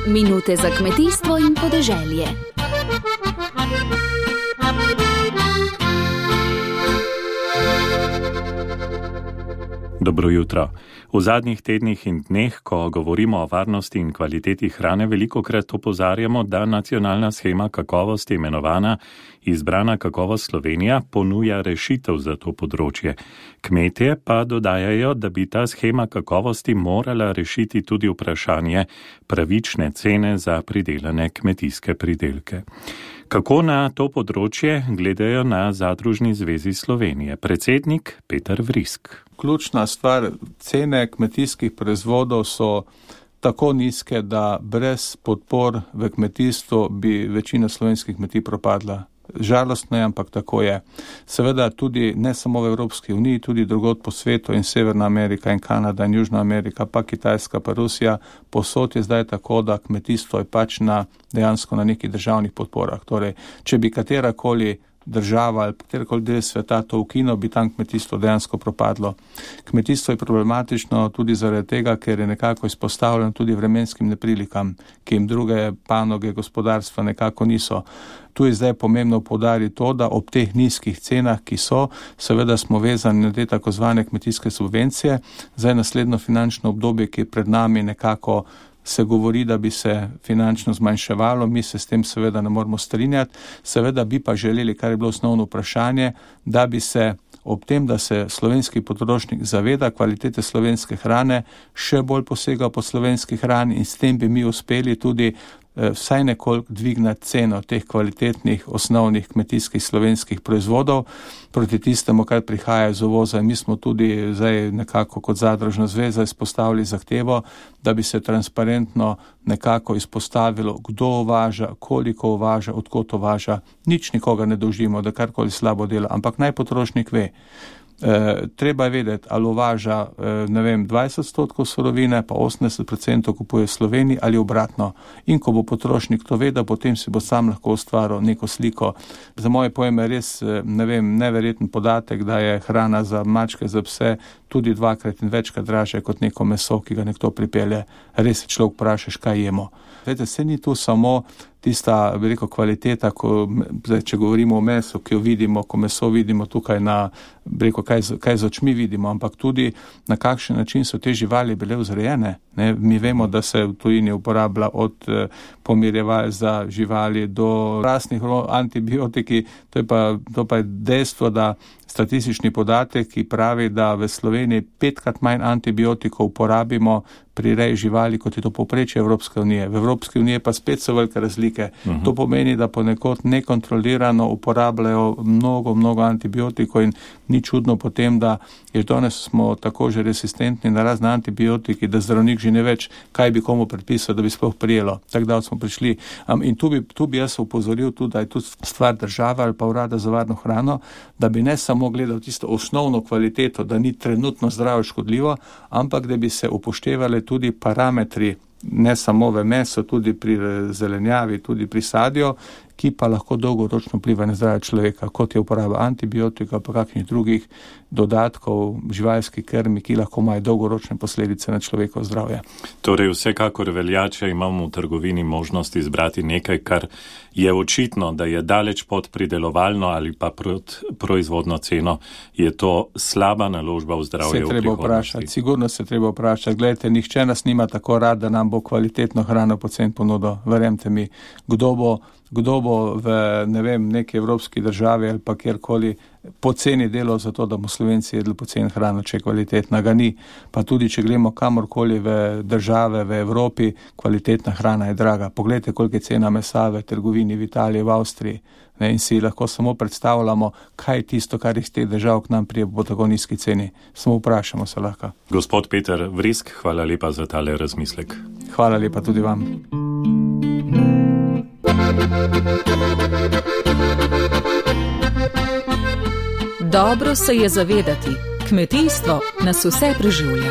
Minute za kmetijstvo in podeželje. Dobro jutro. V zadnjih tednih in dneh, ko govorimo o varnosti in kvaliteti hrane, velikokrat opozarjamo, da nacionalna shema kakovosti imenovana Izbrana kakovost Slovenija ponuja rešitev za to področje. Kmetje pa dodajajo, da bi ta shema kakovosti morala rešiti tudi vprašanje pravične cene za pridelane kmetijske pridelke. Kako na to področje gledajo na Zadružni zvezi Slovenije? Predsednik Peter Vrisk. Ključna stvar, cene kmetijskih proizvodov so tako nizke, da brez podpor v kmetijstvu bi večina slovenskih kmetij propadla. Žalostno je, ampak tako je. Seveda tudi ne samo v Evropski uniji, tudi drugod po svetu in Severna Amerika in Kanada in Južna Amerika, pa Kitajska, pa Rusija, povsod je zdaj tako, da kmetijstvo je pač dejansko na nekih državnih podporah. Torej, če bi katerakoli država ali katerikoli del sveta to ukinil, bi tam kmetijstvo dejansko propadlo. Kmetijstvo je problematično tudi zaradi tega, ker je nekako izpostavljeno tudi vremenskim neprilikam, ki jim druge panoge gospodarstva nekako niso. Tu je zdaj pomembno poudariti to, da ob teh nizkih cenah, ki so, seveda smo vezani na te tako zvane kmetijske subvencije. Zdaj naslednjo finančno obdobje, ki je pred nami, nekako se govori, da bi se finančno zmanjševalo, mi se s tem seveda ne moramo strinjati. Seveda bi pa želeli, kar je bilo osnovno vprašanje, da bi se ob tem, da se slovenski potrošnik zaveda kvalitete slovenske hrane, še bolj posega po slovenski hrani in s tem bi mi uspeli tudi vsaj nekoliko dvignati ceno teh kvalitetnih osnovnih kmetijskih slovenskih proizvodov proti tistemu, kar prihaja iz uvoza. Mi smo tudi zdaj nekako kot Zadružna zveza izpostavili zahtevo, da bi se transparentno nekako izpostavilo, kdo uvaža, koliko uvaža, odkot uvaža. Nič nikoga ne dolžimo, da karkoli slabo dela, ampak naj potrošnik ve. Treba je vedeti, ali uvaža 20% surovine, pa 80% kupuje v Sloveniji ali obratno. In ko bo potrošnik to vedel, potem si bo sam lahko ustvaril neko sliko. Za moje pojme res neverjeten podatek, da je hrana za mačke, za pse tudi 2-krat in večkrat dražje kot neko meso, ki ga nekdo pripelje. Res se človek vprašaš, kaj jemo. Vedete, se ni tu samo tista, kvaliteta, če govorimo o mesu, ki jo vidimo, ko meso vidimo tukaj kaj z očmi vidimo, ampak tudi na kakšen način so te živali bile vzrejene. Mi vemo, da se v tujini uporablja od pomirjeval za živali do rasnih antibiotiki. To pa je dejstvo, da statistični podatek, ki pravi, da v Sloveniji 5-krat manj antibiotikov uporabimo pri reji živali, kot je to povprečje Evropske unije. V Evropski uniji pa spet so velike razlike. To pomeni, da ponekod nekontrolirano uporabljajo mnogo antibiotikov in ni čudno potem, da je danes smo tako že resistentni na razne antibiotiki, da zdravnik že ne več, kaj bi komu predpisal, da bi sploh prijelo. Tako da smo prišli. In tu bi jaz upozoril tudi, da je tudi stvar države ali pa urada za varno hrano, da bi ne samo gledal tisto osnovno kvaliteto, da ni trenutno zdravo škodljivo, ampak da bi se upoštevali tudi parametri, ne samo v meso, tudi pri zelenjavi, tudi pri sadju, ki pa lahko dolgoročno vpliva na zdravje človeka, kot je uporaba antibiotika, pa kakšnih drugih dodatkov živalski krmi, ki lahko imajo dolgoročne posledice na človekovo zdravje. Torej vsekakor velja, če imamo v trgovini možnost izbrati nekaj, kar je očitno, da je daleč pod pridelovalno ali pa proizvodno ceno, je to slaba naložba v zdravje v prihodnosti. Sigurno se treba vprašati. Glejte, nihče nas nima tako rad, da nam bo kvalitetno hrano poceni ponudil. Verjemte mi, kdo bo v neki evropski državi ali pa kjerkoli poceni delo za to, da bomo Slovenci jedli poceni hrano, če je kvalitetna, ga ni. Pa tudi, če gremo kamorkoli v države v Evropi, kvalitetna hrana je draga. Poglejte, koliko je cena mesa v trgovini v Italiji, v Avstriji. In si lahko samo predstavljamo, kaj je tisto, kar iz teh držav k nam prije po tako nizki ceni. Samo vprašamo se lahko. Gospod Peter Vrisk, hvala lepa za tale razmislek. Hvala lepa tudi vam. Dobro se je zavedati, kmetijstvo nas vse preživlja.